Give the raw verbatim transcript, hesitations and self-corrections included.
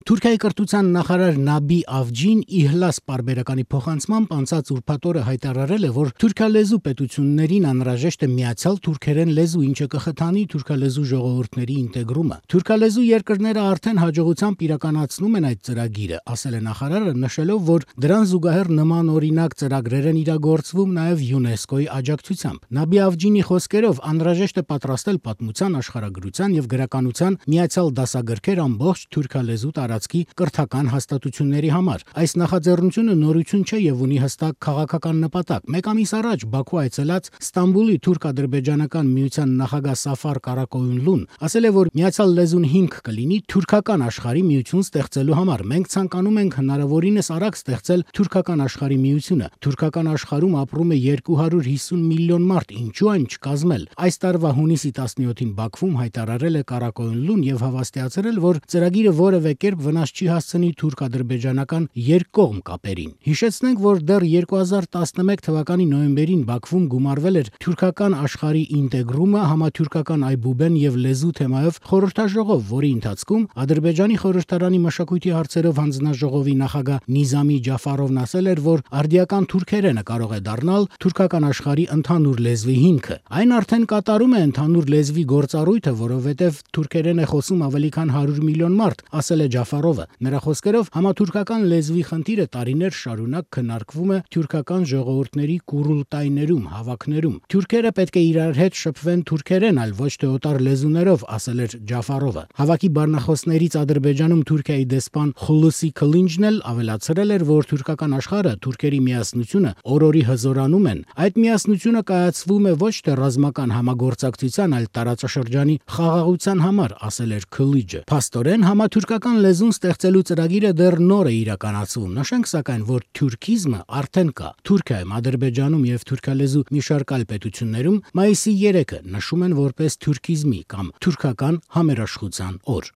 Թուրքիայի կրթության նախարար Նաբի Ավջին Իհլաս պարբերականի փոխանցմամբ անցած ուրբաթ օրը հայտարարել է, որ թուրքալեզու պետություններին անհրաժեշտ է միացյալ թուրքերեն լեզու, ինչը կխթանի թուրքալեզու ժողովուրդների ինտեգրումը։ Թուրքալեզու երկրները արդեն հաջողությամբ իրականացնում են այդ ծրագիրը, ասել է նախարարը, նշելով, որ դրան զուգահեռ նման օրինակ ծրագրեր են իրագործվում նաև ՅՈՒՆԵՍԿՕ-ի աջակցությամբ։ Նաբի Ավջինի խոսքերով անհրաժեշտ է պատրաստել պատմության, աշխարհագրության եւ գրականության միացյալ դասագրքեր ամբողջ թուրքալեզու տարածքի կրթական հաստատությունների համար։ Այս նախաձեռնությունը նորություն չէ եւ ունի հստակ քաղաքական նպատակ։ Մեկ ամիս առաջ Բաքու այցելած Ստամբուլի թուրք-ադրբեջանական միության նախագահ Սաֆար Կարակոյունլուն ասել է, որ միացյալ լեզուն հիմք կլինի թուրքական աշխարհի միություն ստեղծելու համար։ Մենք ցանկանում ենք հնարավորինս արագ ստեղծել թուրքական աշխարհի միությունը։ Թուրքական աշխարհում ապրում է երկու հարյուր հիսուն միլիոն մարդ, ինչու այն չկազմել։ Այս տարվա հունիսի տասնյոթին Բաքվում հայտարարել է Կարակոյունլուն եւ հավաստիացրել, որ ծրագիրը որևէ կերպ վնաս չի հասցնի թուրք-ադրբեջանական երկկողմ կապերին։ Հիշեցնենք, որ դեռ երկու հազար տասնմեկ թվականի նոյեմբերին Բաքվում գումարվել էր թուրքական աշխարհի ինտեգրումը համաթուրքական այբուբեն եւ լեզու թեմայով խորհրդաժողով, որի ընթացքում Ադրբեջանի խորհրդարանի մշակույթի հարցերով հանձնաժողովի նախագահ Նիզամի Ջաֆարովն ասել էր, որ արդիական թուրքերենը կարող է դառնալ թուրքական աշխարհի ընդհանուր լեզվի հիմքը։ Այն արդեն կատարում է ընդհանուր լեզվի գործառույթը, որովհետեւ թուրքերեն է խոսում ավելի քան հարյուր միլիոն մարդ, ասել է Ջաֆարովը։ Նրա խոսքերով համաթուրքական լեզվի խնդիրը տարիներ շարունակ քննարկվում է թուրքական ժողովուրդների կուրուլտայներում, հավաքներում։ Թուրքերը պետք է իրար հետ շփվեն թուրքերեն, այլ ոչ թե օտար լեզուներով, ասել էր Ջաֆարովը։ Հավաքի բառնախոսներից Ադրբեջանում Թուրքիայի դեսպան Խուլուսի Քլինջն էլ ավելացրել էր, որ թուրքական աշխարհը թուրքերի միասնությունը օրորի հզորանում են։ Այդ միասնությունը կայացվում է ոչ թե ռազմական համագործակցության, այլ տարածաշրջանի խաղաղության համար, ասել էր Քլիջը։ Փաստորեն համաթուրքական լեզուն ստեղծելու ծրագիրը դեռ նոր է իրականացվում։ Նշենք սակայն, որ թուրքիզմը արդեն կա։ Թուրքիայում, Ադրբեջանում եւ թուրքալեզու մի շարք այլ պետություններում մայիսի երեքը նշում են որպես թուրքիզմի կամ թուրքական համերաշխության օր։